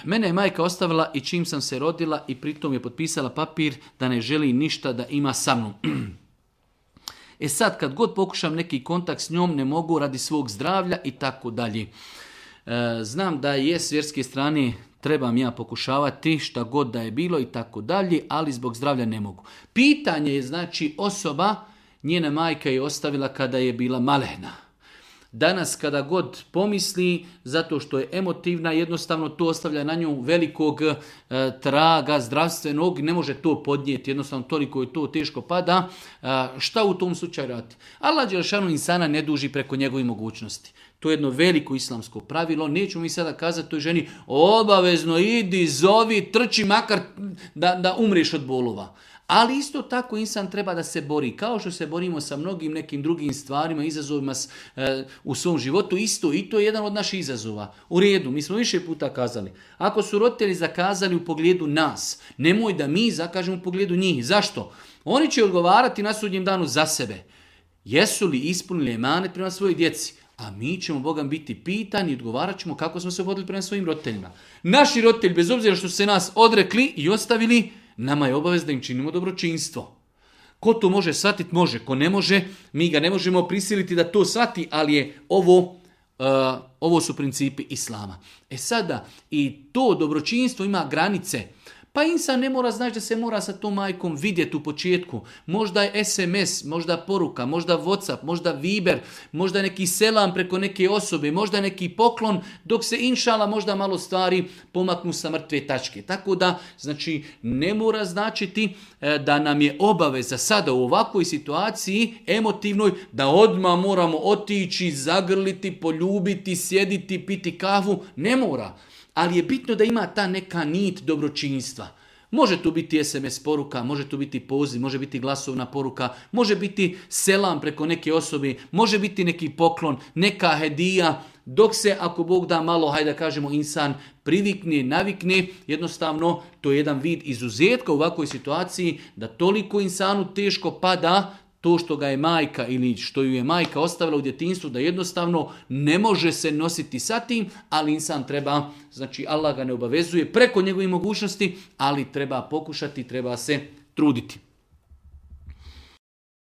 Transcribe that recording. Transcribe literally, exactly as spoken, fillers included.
Mene je majka ostavila i čim sam se rodila i pritom je potpisala papir da ne želi ništa da ima sa mnom. E sad, kad god pokušam neki kontakt s njom, ne mogu radi svog zdravlja i tako dalje. Znam da je s vjerske strane trebam ja pokušavati šta god da je bilo i tako dalje, ali zbog zdravlja ne mogu. Pitanje je znači osoba, njena majka je ostavila kada je bila malehna. Danas kada god pomisli, zato što je emotivna, jednostavno to ostavlja na nju velikog e, traga zdravstvenog, ne može to podnijeti, jednostavno toliko je to teško pada. E, šta u tom slučaju radi? Allah dželešanu insana ne duži preko njegovih mogućnosti. To je jedno veliko islamsko pravilo. Nećemo mi sada kazati toj ženi obavezno idi, zovi, trči makar da, da umriješ od bolova. Ali isto tako insan treba da se bori. Kao što se borimo sa mnogim nekim drugim stvarima, izazovima e, u svom životu, isto i to je jedan od naših izazova. U redu, mi smo više puta kazali. Ako su roditelji zakazali u pogledu nas, nemoj da mi zakažemo u pogledu njih. Zašto? Oni će odgovarati na sudnjem danu za sebe. Jesu li ispunili emanet prema svojoj djeci? A mi ćemo Bogam biti pitani i odgovarat ćemo kako smo se vodili prema svojim roditeljima. Naši roditelji, bez obzira što su se nas odrekli i ostavili, nama je obavez da im činimo dobročinstvo. Ko to može shvatiti, može. Ko ne može, mi ga ne možemo prisiliti da to shvati, ali je ovo, uh, ovo su principi Islama. E sada, i to dobročinstvo ima granice. Pa insan ne mora znači da se mora sa tom majkom vidjeti u početku. Možda je es em es, možda poruka, možda WhatsApp, možda Viber, možda neki selam preko neke osobe, možda neki poklon, dok se inšala možda malo stvari pomaknu sa mrtve tačke. Tako da, znači, ne mora značiti da nam je obaveza sada u ovakvoj situaciji emotivnoj da odmah moramo otići, zagrliti, poljubiti, sjediti, piti kavu. Ne mora. Ali je bitno da ima ta neka nit dobročinstva. Može to biti es em es poruka, može to biti poziv, može biti glasovna poruka, može biti selam preko neke osobe, može biti neki poklon, neka hedija, dok se, ako Bog da malo, hajde da kažemo, insan privikne, navikne, jednostavno to je jedan vid izuzetka u ovakvoj situaciji da toliko insanu teško pada to što ga je majka ili što ju je majka ostavila u djetinjstvu, da jednostavno ne može se nositi sa tim, ali insan treba, znači Allah ga ne obavezuje preko njegovih mogućnosti, ali treba pokušati, treba se truditi.